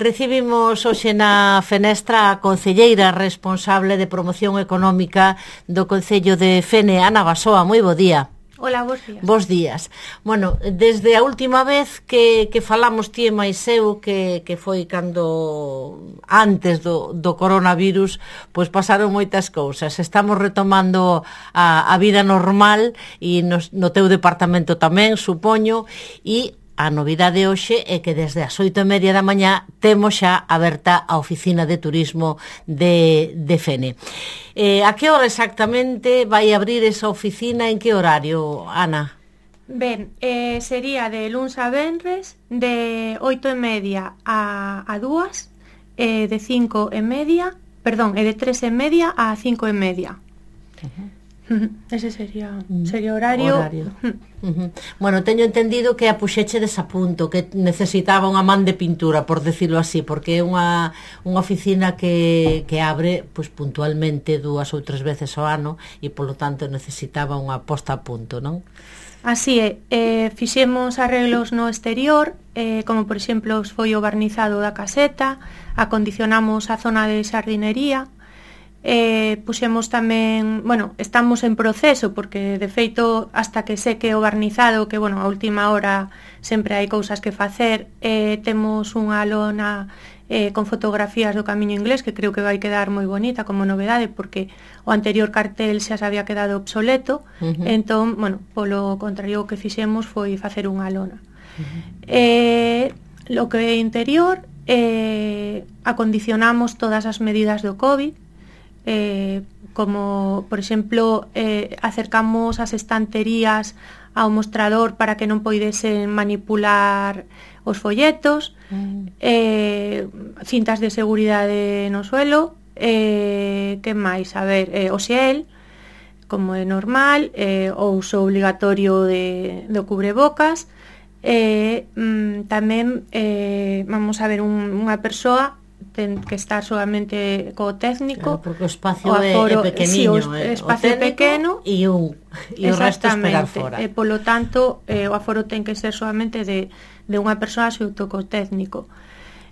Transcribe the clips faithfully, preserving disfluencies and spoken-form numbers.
Recibimos hoxe na fenestra a concelleira responsable de promoción económica do Concello de Fene, Ana Basoa. Moi bo día. Hola, bos días. Bos días. Bueno, desde a última vez que, que falamos ti e máis eu, que, que foi cando antes do, do coronavirus, pois pasaron moitas cousas. Estamos retomando a, a vida normal e no, no teu departamento tamén, supoño, e a novidade hoxe é que desde as oito e media da mañá temos xa aberta a oficina de turismo de, de Fene. Eh, a que hora exactamente vai abrir esa oficina? En que horario, Ana? Ben, eh, sería de luns a venres, de oito e media a, a dúas, eh, de cinco e media, perdón, e de tres e media a cinco e media. Uh-huh. Ese sería sería horario, horario. Uh-huh. Bueno, teño entendido que a puxeche desapunto, que necesitaba unha man de pintura, por decirlo así, porque é unha, unha oficina que, que abre pues, puntualmente dúas ou tres veces ao ano e polo tanto necesitaba unha posta a punto, non? Así é, eh, fixemos arreglos no exterior, eh, como por exemplo foi o barnizado da caseta, acondicionamos a zona de xardinería. Eh, puxemos tamén, bueno, estamos en proceso porque de feito hasta que seque o barnizado, que bueno, a última hora sempre hai cousas que facer, eh, temos unha lona eh, con fotografías do Camiño Inglés que creo que vai quedar moi bonita como novedade porque o anterior cartel xa se había quedado obsoleto. Uh-huh. Entón, bueno, polo contrario o que fixemos foi facer unha lona. Uh-huh. eh, lo que é interior, eh, acondicionamos todas as medidas do COVID. Eh, como, por exemplo, eh, acercamos as estanterías ao mostrador para que non poidesen manipular os folletos, mm. eh, cintas de seguridade no suelo, eh, que máis? A ver, eh, o xel, como é normal, eh, o uso obligatorio de, do cubrebocas, eh, mm, tamén, eh, vamos a ver, un, unha persoa ten que estar solamente co técnico, claro, porque o espacio o aforo, é pequeniño, sí, o espacio o pequeno e un e o resto esperar fora. E polo tanto, eh, o aforo ten que ser solamente de, de unha persoa xunto co técnico.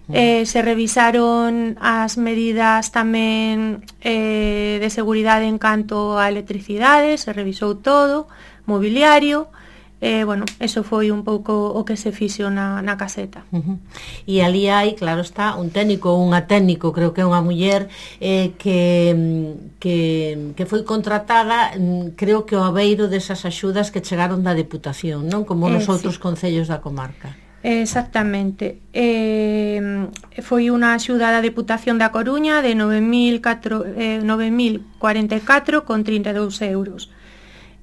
Mm. Eh, se revisaron as medidas tamén eh, de seguridade en canto a electricidade, se revisou todo, mobiliario. Eh, bueno, eso foi un pouco o que se fixo na, na caseta. Uh-huh. E ali hai, claro está, un técnico, unha técnico, creo que é unha muller eh, que, que, que foi contratada, creo que ao abeiro desas axudas que chegaron da Deputación, non? Como nos eh, outros sí. concellos da comarca. Exactamente. Eh, foi unha axuda da Deputación da Coruña de nove mil cuarenta e catro con trinta e dous euros.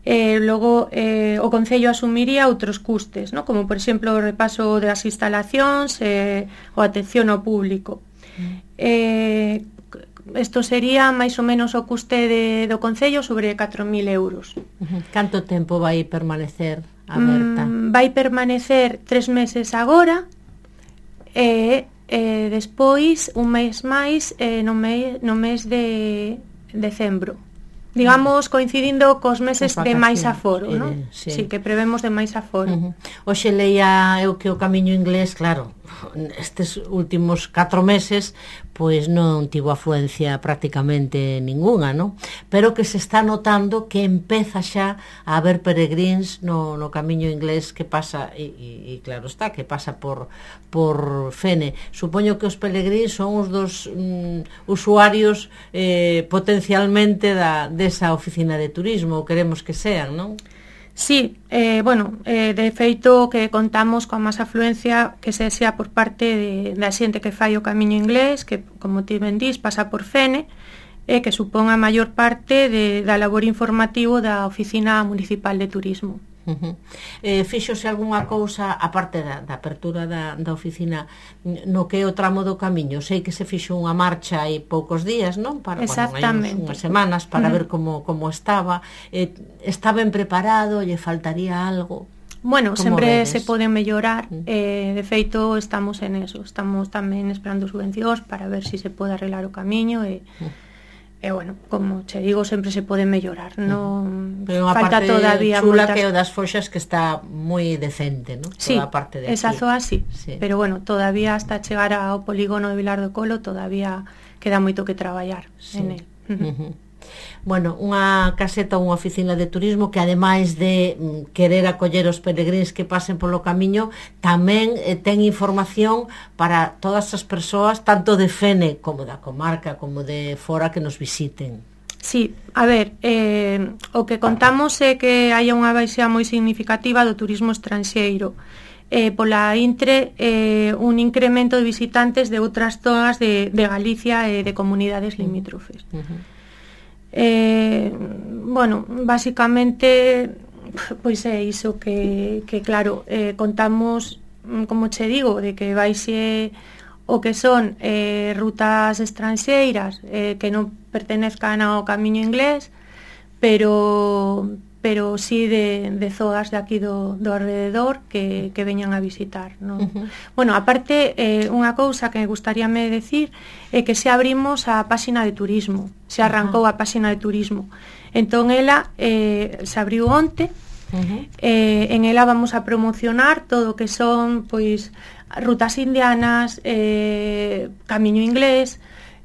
Eh, logo eh, o Concello asumiría outros custes, ¿no? Como por exemplo o repaso das instalacións eh, ou atención ao público. Eh, isto sería máis ou menos o custe de, do Concello sobre catro mil euros. Uh-huh. Canto tempo vai permanecer aberta? Mm, vai permanecer tres meses agora e eh, despois un mes máis eh, no, me, no mes de decembro. Digamos, coincidindo cos meses de máis aforo, eh, non? Sí. sí, que prevemos de máis aforo. Uh-huh. Oxe leía eu que o Camiño Inglés, claro, estes últimos catro meses, pois non tivo afluencia prácticamente ninguna, non? Pero que se está notando que empeza xa a haber peregrins no, no Camiño Inglés que pasa, e, e, e claro está, que pasa por, por Fene. Supoño que os peregrins son os dos mm, usuarios eh, potencialmente da, desa oficina de turismo, queremos que sean, non? Sí, eh, bueno, eh, de feito que contamos con máis afluencia que se xa por parte de, da xente que fai o Camiño Inglés, que, como ti ben dís, pasa por Fene, e eh, que supón a maior parte de, da labor informativo da Oficina Municipal de Turismo. Uh-huh. Eh, fíxose algunha cousa aparte da, da apertura da, da oficina no que é o tramo do camiño? Sei que se fixo unha marcha hai poucos días, non? Para, exactamente, bueno, hai unhas semanas para uh-huh. ver como, como estaba. Eh, está ben preparado? Lle faltaría algo? Bueno, sempre se pode mellorar, uh-huh. eh, de feito estamos en eso, estamos tamén esperando subvencións para ver se si se pode arreglar o camiño e, uh-huh. e bueno, como che digo, sempre se pode mellorar, non pero falta todavía chula moitas... que o das Foxas que está moi decente, ¿no? Sí, toda a parte de esa aquí. zoa sí, sí, pero bueno, todavía hasta chegar ao polígono de Vilar do Colo todavía queda moito que traballar sí. en el. Uh -huh. Bueno, unha caseta ou unha oficina de turismo que ademais de mm, querer acoller os peregríns que pasen polo camiño, tamén eh, ten información para todas as persoas, tanto de Fene como da comarca, como de fora que nos visiten. Sí, a ver, eh, o que contamos é que hai unha baixa moi significativa do turismo estranxeiro. Eh, pola intre, eh, un incremento de visitantes de outras zonas de, de Galicia e de comunidades limítrofes. Uh -huh. Eh, bueno, basicamente pois é iso que, que claro, eh, contamos, como che digo, de que baixe o que son eh, rutas estranxeiras eh, que non pertenezcan ao camiño inglés, pero pero sí de, de zonas de aquí do, do alrededor que, que veñan a visitar, ¿no? Uh -huh. Bueno, aparte, eh, unha cousa que me gustaríame decir é que se abrimos a páxina de turismo, se arrancou uh -huh. a páxina de turismo. Entón, ela eh, se abriu onte, uh -huh. eh, en ela vamos a promocionar todo o que son, pois, rutas indianas, eh, camiño inglés,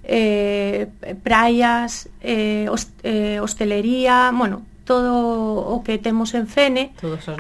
eh, praias, eh, host, eh, hostelería, bueno, todo o que temos en Fene,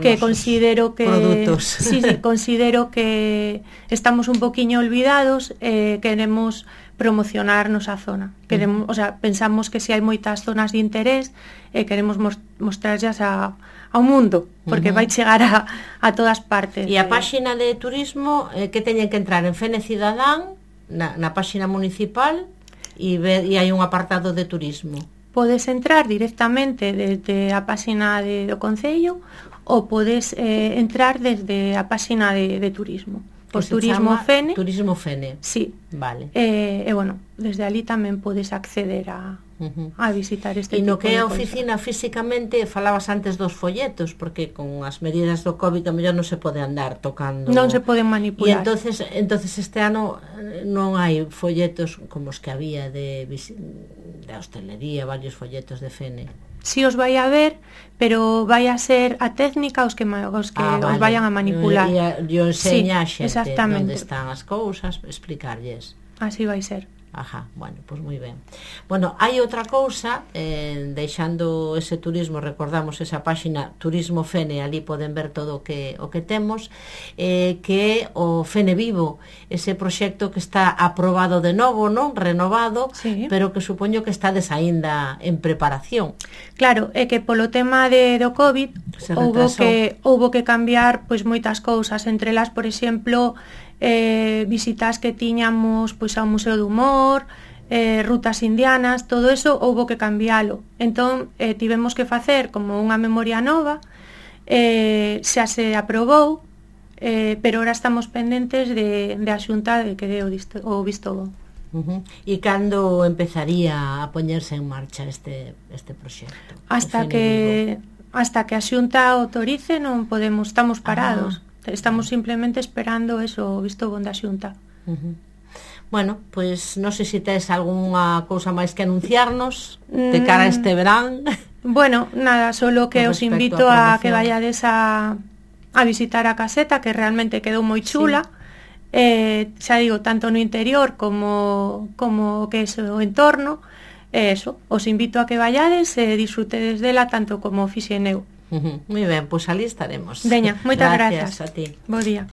que considero que produtos. Sí, sí, considero que estamos un poquiño olvidados, eh, queremos promocionar nosa zona. Queremos, uh -huh. o sea, pensamos que si hai moitas zonas de interés, eh, queremos mostrarlas a ao mundo, porque uh -huh. vai chegar a, a todas partes. E a páxina de turismo eh, que teñen que entrar en Fene Cidadán, na, na páxina municipal, e, ve, e hai un apartado de turismo. Podes entrar directamente desde a páxina de, do Concello ou podes eh, entrar desde a páxina de, de turismo. Por Turismo Fene. Turismo Fene. Sí. Vale. E eh, eh, bueno, desde ali tamén podes acceder a, uh -huh. a visitar este tipo de E no que é a oficina físicamente, falabas antes dos folletos, porque con as medidas do COVID a mellor non se pode andar tocando. Non se poden manipular. E entonces, entonces este ano non hai folletos como os que había de, de hostelería, varios folletos de Fene. Si os vai a ver, pero vai a ser a técnica os que, os que ah, vale. os vayan a manipular. E, e o enseña sí, a xente onde están as cousas, explicarlles. Así vai ser. Ajá, bueno, pois pues moi ben. Bueno, hai outra cousa, eh, deixando ese turismo, recordamos esa páxina Turismo Fene, ali poden ver todo o que o que temos, eh, que é o Fene Vivo, ese proxecto que está aprobado de novo, non? Renovado, sí. pero que supoño que está desaínda en preparación. Claro, é que polo tema de do COVID houbo que houbo que cambiar pois moitas cousas, entre elas, por exemplo, eh, visitas que tiñamos pois ao Museo do Humor, eh, rutas indianas, todo eso houbo que cambialo. Entón, eh, tivemos que facer como unha memoria nova, eh, xa se aprobou, eh, pero ahora estamos pendentes de, de a Xunta de que dé o, disto, o visto bon. Uh -huh. E cando empezaría a poñerse en marcha este, este proxecto? Hasta que, hasta que a Xunta autorice non podemos, estamos parados. Ah. Estamos simplemente esperando eso, visto bon da Xunta. Uh -huh. Bueno, pois pues, non sei se tes algunha cousa máis que anunciarnos de cara a este verán. Bueno, nada, solo que os invito a, a que vayades a, a visitar a caseta, que realmente quedou moi chula. Sí. Eh, xa digo, tanto no interior como, como que é o entorno. Eh, eso, os invito a que vayades e disfrutedes dela tanto como fixen eu. Uh -huh. Moi ben, pois ali estaremos. Veña, moitas gracias. grazas. A ti. Bo día.